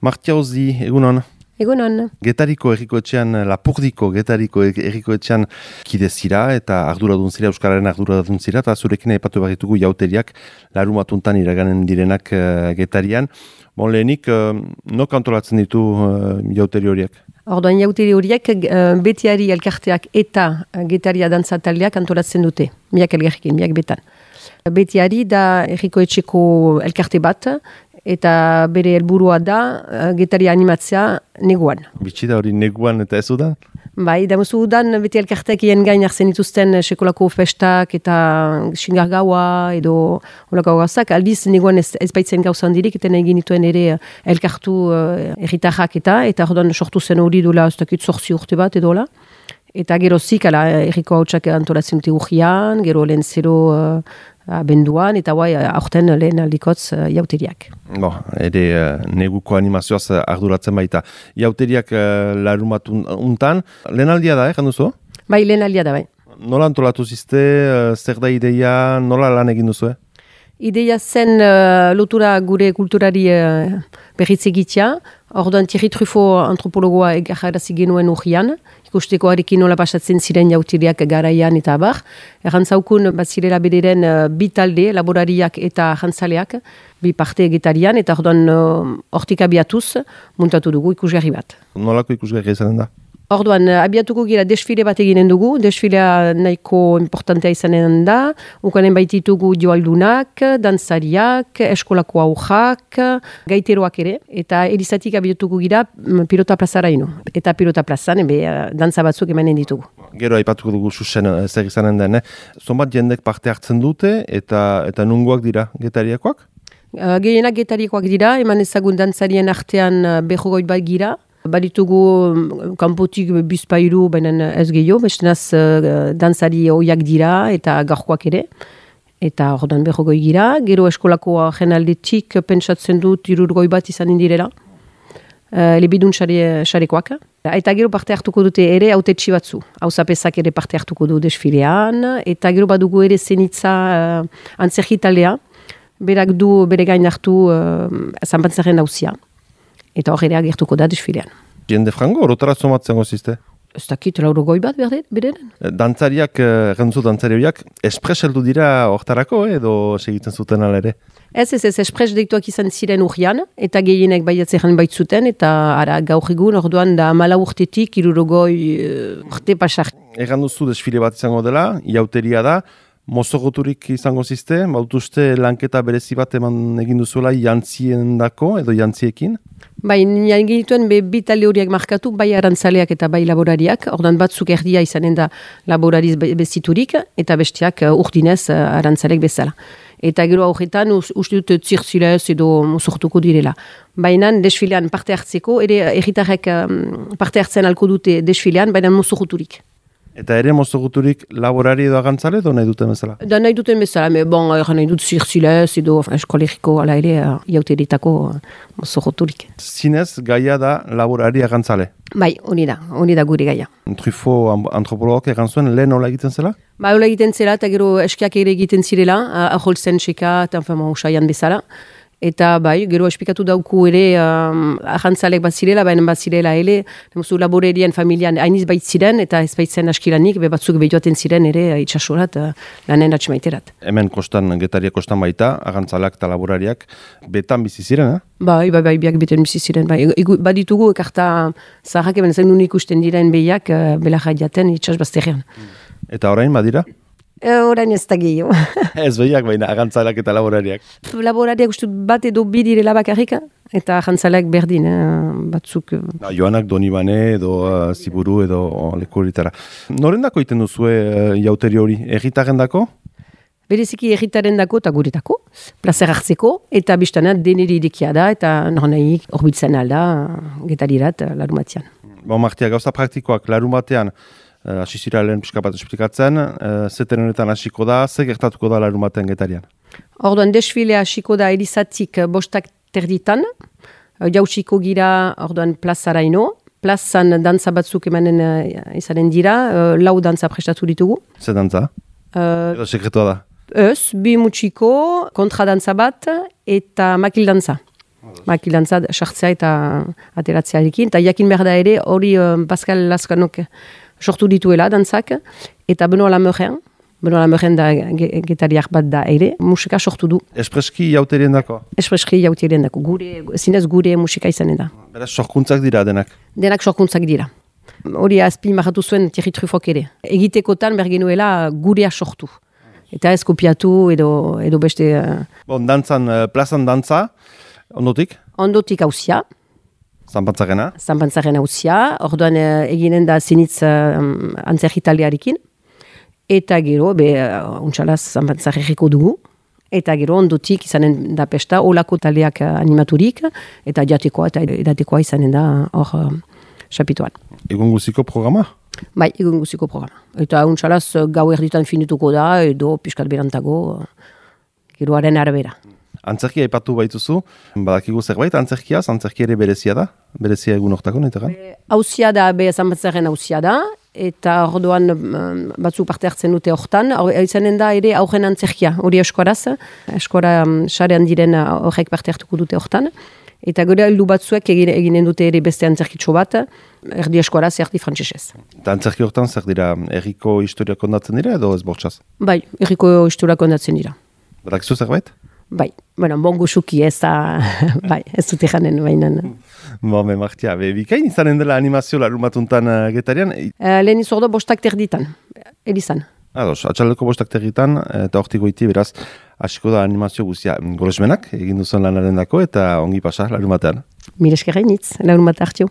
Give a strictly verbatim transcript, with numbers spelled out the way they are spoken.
Martia Ozi, egunon. Egunon. Getariko errikoetxean, Lapurdiko Getariko errikoetxean kidezira eta arduradun zira, Euskararen arduradun zira, eta zurekin aipatu barritugu jauteriak, larumatuntan iraganen direnak uh, Getarian. Bon, lehenik, uh, nok antolatzen ditu uh, jauteri horiek? Orduan jauteri horiek uh, betiari elkarteak eta uh, Getaria dantzataldeak antolatzen dute, miak elgerkin, miak betan. Betiari da errikoetxeko elkarte bat, eta bere helburua da uh, Getaria animatzea neguan. Bitxida hori neguan eta ez udan? Bai, da musu udan beti elkarteak ien gain hartzen dituzten sekolako festak eta xingar gaua edo holako gauzak. Aldiz neguan ez, ez baitzen gauza handirik, eta nahi genituen ere elkartu uh, erritarrak eta, eta orduan sortu zen hori dola, ez dakit zortzi urte bat edo la. Eta gero zik, ala, erriko hautsak antolatzen dute urgian, gero lehen zero uh, abenduan, eta guai, aurten lehen aldikotz uh, jauteriak. Bo, ere uh, neguko animazioaz uh, arduratzen baita. Jauteriak uh, larumatun untan, lehen aldia da, eh, janduzu? Bai, lehen aldia da, bai. Nola antolatu zizte, uh, zer da ideia, nola lan egin duzu, eh? Ideia zen uh, lotura gure kulturari uh, berriz egitea. Orduan Thierry Truffaut antropologoa egarrarazi genuen urrian, ikusteko harekin nola pasatzen ziren jautiriak garaian eta abar. Errantzaukun bat zirela bederen uh, bi talde, laborariak eta jantzaleak, bi parte Getarian, eta orduan hortik uh, abiatuz muntatu dugu ikusgarri bat. Nolako ikusgarri izanen da? Orduan, abiatuko gira desfile bat eginen dugu, desfilea nahiko importantea izanen da, ukanen baititugu joaldunak, dantzariak, eskolako aurrak, gaiteroak ere, eta erizatik abiatuko gira pilota plazara ino. Eta pilota plazan, ebe, dantza batzuk emanen ditugu. Gero aipatuko dugu susen zer izanen den, eh? Zonbat jendek parte hartzen dute, eta, eta nungoak dira Getariakoak? Uh, Gehienak Getariakoak dira, eman ezagun dantzarien artean uh, berrogoi bat gira. Baditugu kanpotik bizpairu, baina ez gehiago, bestenaz uh, dantzari oiak dira eta gaurkoak ere. Eta ordan berrogoi gira, gero eskolako jenaldetik pentsatzen dut irurgoi bat izan indirela. Uh, Lebidun xarekoak. Eta gero parte hartuko dute ere autetxi batzu. Hauzapezak ere parte hartuko du desfilean. Eta gero badugu ere zenitza uh, antzerkitaldea. Berak du bere gain hartu uh, zanpantzaren hauzia. Eta hor ere agertuko da desfilean. Jende frango, orotara zomatzen gozizte? Ez dakit, lauro goi bat beren? Dantzariak, errantzu dantzariak, espres heldu dira hortarako edo segitzen zuten ala ere? Ez, ez, ez, espres deituak izan ziren urrian, eta gehienek baiatzeren baitzuten, eta ara gaur egun, orduan da mala urtetik, irurogoi urte pasar. Erran duzu desfile bat izango dela, jauteria da, mozogoturik izango zizte, bautuzte lanketa berezi bat eman egin duzuela jantzien dako edo jantziekin? Bai, nien genituen be bi talde horiek markatu, bai arantzaleak eta bai laborariak, ordan batzuk erdia izanen da laborariz beziturik, eta bestiak urdinez arantzalek bezala. Eta gero horretan uste dut zirtzilez edo sortuko direla. Baina desfilean parte hartzeko, ere erritarrek parte hartzen alko dute desfilean, baina mozoguturik. Eta ere mozoguturik laborari edo agantzale edo nahi duten bezala? Da nahi duten bezala, me bon, erran nahi dut zirtzilez edo eskolegiko ala ere jauteritako mozoguturik. Zinez gaia da laborari agantzale? Bai, honi da, honi da gure gaia. Truffaut antropologok egan zuen lehen hola egiten zela? Ba, hola egiten zela, eta gero eskiak ere egiten zirela, aholtzen txeka, eta enfama usaian bezala. Eta bai, gero espikatu dauku ere um, ahantzalek bat zirela, baina bat zirela ele, nemuzu laborerien familian hainiz bait ziren, eta ez baitzen askilanik, be batzuk behioaten ziren ere itxasorat, uh, lanen atxemaiterat. Hemen kostan, Getaria kostan baita, ahantzalak eta laborariak betan bizi ziren, eh? Bai, bai, bai, biak beten bizi ziren, bai. Baditugu ekarta zaharrak, eben zen nun ikusten diren behiak, uh, belarra jaten itxas bazterrean. Eta orain, badira? Orain ez da gehiago. Ez behiak, baina agantzalak eta laborariak. Laborariak uste bat edo bi direla bakarrik, eta agantzalak berdin, eh, batzuk. Na, Joanak Donibane edo uh, Ziburu edo uh, leku horitara. Norendako iten duzue uh, jauteri hori? Erritaren dako? Bereziki erritaren dako eta guretako, plazer hartzeko, eta biztana deneri irikia da, eta nornaik horbitzen alda, Getarirat, larumatian. Bon, Martia, gauza praktikoak larumatean, hasi uh, zira lehen pixka bat esplikatzen, uh, zeten honetan hasiko da, ze gertatuko da larumaten Getarian? Orduan, desfilea hasiko da elizatik bostak terditan, jautsiko gira orduan plazaraino, plazan dantza batzuk emanen uh, izanen dira, uh, lau dantza prestatu ditugu. Ze dantza? Uh, Edo sekretua da? Ez, bi mutxiko, kontradantza bat eta makil dantza. makilantza sartzea eta ateratzearekin. Eta jakin behar da ere, hori uh, Pascal Laskanok sortu dituela dantzak, eta Benoa Lameuren, Benoa Lameuren da getariak bat da ere, musika sortu du. Espreski jauterien dako? Espreski jauterien dako, gure, zinez gure musika izanen da. Beraz, sorkuntzak dira denak? Denak sorkuntzak dira. Hori azpi marratu zuen Thierry Truffok ere. Egitekotan bergenuela gurea sortu. Eta ez kopiatu edo, edo beste... Bon, dantzan, plazan dantza, ondotik? Ondotik hauzia. Zanpantzarena? Zanpantzarena hauzia. Orduan eginen da zinitz um, antzer italiarekin. Eta gero, be, uh, untxalaz zanpantzarriko dugu. Eta gero ondotik izanen da pesta, olako taleak animaturik. Eta jatekoa eta edatekoa izanen da hor uh, xapituan. Egun guziko programa? Bai, egun guziko programa. Eta untxalaz gau erditan finituko da, edo piskat berantago, geroaren arabera. Antzerkia aipatu baituzu, badakigu zerbait, antzerkia, antzerkia ere berezia da? Berezia egun hortako, nahi Hauzia da, be zanbatzaren hauzia da, eta orduan batzuk parte hartzen dute hortan, izanen da ere aurren antzerkia, hori eskoraz, eskora sarean diren horrek parte hartuko dute hortan. Eta gero heldu batzuek eginen dute ere beste antzerkitxo bat, erdi eskoraz, erdi frantsesez. Eta antzerki hortan zer dira, erriko historia kondatzen dira edo ez bortxaz? Bai, erriko historia kondatzen dira. Badakizu zerbait? Bai, bueno, bongo suki ez da, bai, ez dute janen bainan. Bo, me martia, be, bikain izanen dela animazio larumatuntan uh, getarian? Uh, lehen izordo bostak terditan, elizan. Ados, atxaldeko bostak terditan, eta hortiko iti, beraz, hasiko da animazio guztia. Golesmenak, egin duzuen lanaren dako, eta ongi pasa, larumatean. Mire eskerrainitz, larumat hartio.